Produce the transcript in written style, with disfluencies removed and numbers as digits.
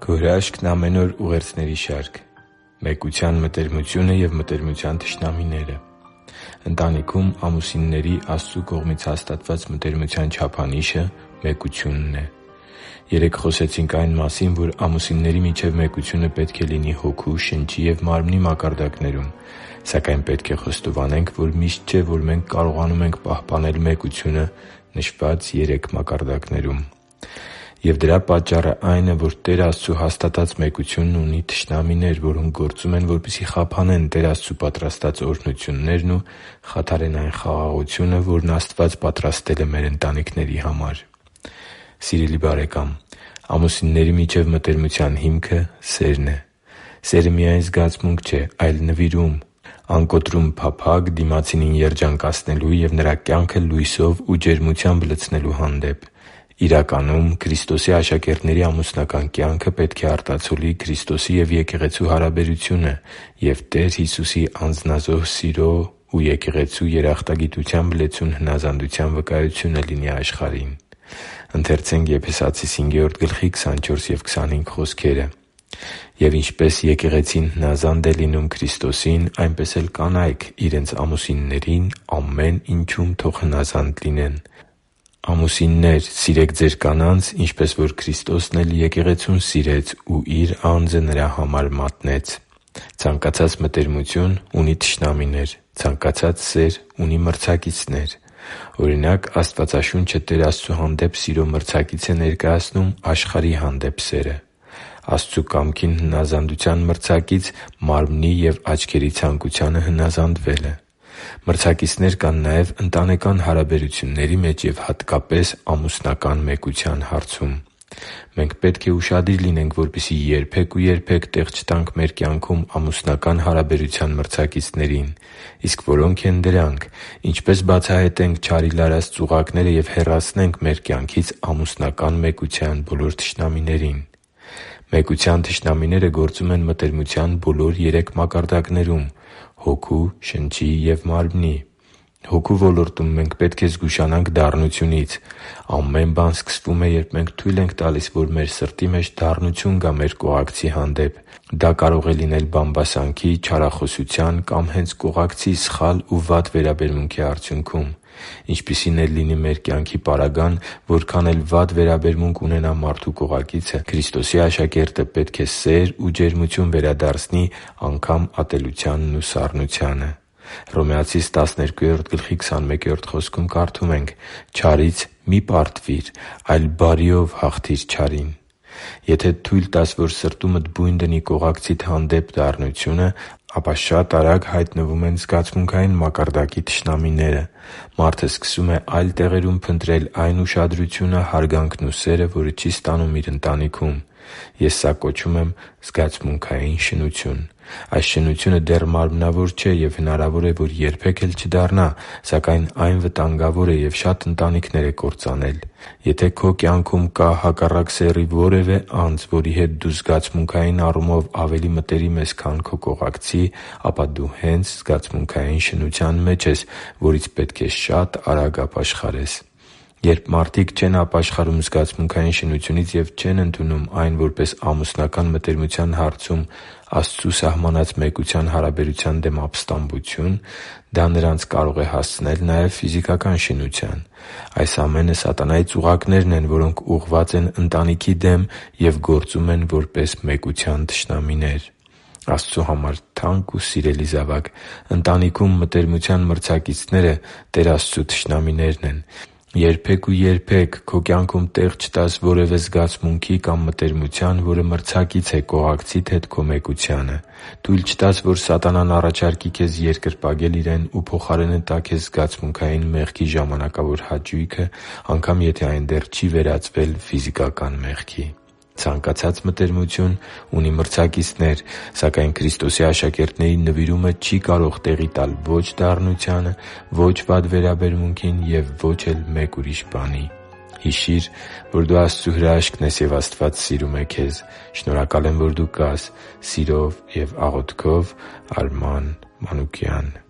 Քո հրաշքն ամեն օր ուղերձների շարք։ Մեկության մտերմությունը և մտերմության թշնամիները։ Ընտանիքում ամուսինների Աստծու կողմից հաստատված մտերմության չափանիշը մեկությունն է։ Երեկ խոսեցինք այն մասին, որ ամուսինների միջև մեկությունը պետք է լինի հոգու, շնչի և մարմնի մակարդակներում, սակայն պետք է խոստովանենք, որ միշտ չէ, որ մենք կարողանում ենք պահպանել մեկությունը նշված երեք մակարդակներում։ Եվ դրա պատճառը այն է, որ Տեր Աստծու հաստատած մեկությունն ունի թշնամիներ, որոնք գործում են, որպեսզի խափանեն Տեր Աստծու պատրաստած օրհնություններն ու խաթարեն այն խաղաղությունը, որն Աստված պատրաստել է մեր ընտանիքների համար։ Սիրելի՛ բարեկամ, ամուսինների միջև մտերմության հիմքը սերն է։ Սերը միայն զգացմունք չէ, այլ նվիրում, անկոտրում փափագ դիմացինին երջանկացնելու և նրա կյանքը լույսով ու ջերմությամբ լցնելու հանդեպ։ Իրականում, Քրիստոսի աշակերտների ամուսնական կյանքը պետք է արտացոլի Քրիստոսի և եկեղեցու հարաբերությունը և Տեր Հիսուսի անձնազոհ սիրո ու եկեղեցու երախտագիտությամբ լեցուն հնազանդության վկայությունը լինի աշխարհին։ «Եվ ինչպես եկեղեցին հնազանդ է լինում Քրիստոսին, այնպես էլ կանայք իրենց ամուսիններին ամեն ինչում թող հնազանդ լինեն։ Ամուսիննե՛ր, սիրեք ձեր կանանց, ինչպես որ Քրիստոսն էլ եկեղեցուն սիրեց ու Իր անձը նրա համար մատնեց» (Եփեսացիս 5:24-25): Ցանկացած մտերմություն ունի թշնամիներ։ Ցանկացած սեր ունի մրցակիցներ։ Օրինակ, Աստվածաշունչը Տեր Աստծու հանդեպ սիրո մրցակից է ներկայացնում աշխարհի հանդեպ սերը։ Աստծու կամքին հնազանդության մրցակից մարմնի և աչքերի ցանկությանը հնազանդվելը։ Մրցակիցներ կան նաև ընտանեկան հարաբերությունների մեջ և հատկապես ամուսնական մեկության հարցում։ Մենք պետք է ուշադիր լինենք, որպեսզի երբե՛ք ու երբե՛ք տեղ չտանք մեր կյանքում ամուսնական հարաբերության մրցակիցներին։ Իսկ որո՞նք են դրանք։ Ինչպե՞ս բացահայտենք չարի լարած ծուղակները և հեռացնենք մեր կյանքից ամուսնական մեկության բոլոր թշնամիներին։ Մեկության թշնամիները գործում են մտերմության բոլոր երեք մակարդակներում՝ հոգու, շնչի և մարմնի։ Հոգու ոլորտում մենք պետք է զգուշանանք դառնությունից։ Ամեն բան սկսվում է, երբ մենք թույլ ենք տալիս, որ մեր սրտի մեջ դառնություն գա մեր կողակցի հանդեպ։ Դա կարող է լինել բամբասանքի, չարախոսության կամ հենց կողակցի սխալ ու վատ վերաբերմունքի արդյունքում։ Ինչպիսին էլ լինի մեր կյանքի պարագան, որքան էլ վատ վերաբերմունք ունենա մարդու կողակիցը, Քրիստոսի աշակերտը պետք է սեր ու ջերմություն վերադարձնի անգամ ատելությանն ու սառնությանը։ Հռոմեացիս 12:21 խոսքում կարդում ենք. «Չարից մի՛ պարտվիր, այլ բարիով հաղթի՛ր չարին»։ Եթե թույլ տաս, որ սրտումդ բույն դնի կողակցիդ հանդեպ դառնությունը, ապա շատ արագ հայտնվում են զգացմունքային մակարդակի թշնամիները։ Մարդը սկսում է այլ տեղերում փնտրել այն ուշադրությունը, հարգանքն ու սերը, որը չի ստանում իր ընտանիքում։ Ես սա կոչում եմ զգացմունքային շնություն։ Այս շնությունը դեռ մարմնավոր չէ և հնարավոր է, որ երբեք էլ չդառնա, սակայն այն վտանգավոր է և շատ ընտանիքներ է կործանել։ Եթե քո կյանքում կա հակառակ սեռի որևէ անձ, որի հետ դու զգացմունքային առումով ավելի մտերիմ ես, քան քո կողակցի, ապա դու հենց զգացմունքային շնության մեջ ես, որից պետք է շատ արագ ապաշխարես։ Երբ մարդիկ չեն ապաշխարում զգացմունքային շնությունից և չեն ընդունում այն որպես ամուսնական մտերմության հարցում Աստծու սահմանած մեկության հարաբերության դեմ ապստամբություն, դա նրանց կարող է հասցնել նաև ֆիզիկական շինության։ Այս ամենը սատանայի ծուղակներն են, որոնք ուղղված են ընտանիքի դեմ և գործում են որպես մեկության թշնամիներ։ Աստծու համար թանկ ու սիրելի՛ զավակ, ընտանիքում մտերմության մրցակիցները Տեր Աստծու թշնամիներն են։ Երբե՛ք ու երբե՛ք քո կյանքում տեղ չտաս որևէ զգացմունքի կամ մտերմության, որը մրցակից է կողակցիդ հետ քո մեկությանը։ Թույլ չտաս, որ սատանան առաջարկի քեզ երկրպագել իրեն ու փոխարենը տա քեզ զգացմունքային մեղքի ժամանակավոր հաճույքը, անգամ եթե այն դեռ չի վերածվել ֆիզիկական մեղքի։ Ցանկացած մտերմություն ունի մրցակիցներ, սակայն Քրիստոսի աշակերտների նվիրումը չի կարող տեղի տալ ո՛չ դառնությանը, ո՛չ վատ վերաբերմունքին և ո՛չ էլ մեկ ուրիշ բանի։ Հիշի՛ր, որ դու Աստծո հրաշքն ես, և Աստված սիրում է քեզ։ Շնորհակալ եմ, որ դու կա՛ս։ Սիրով և աղոթքով, Արման Մանուկյան։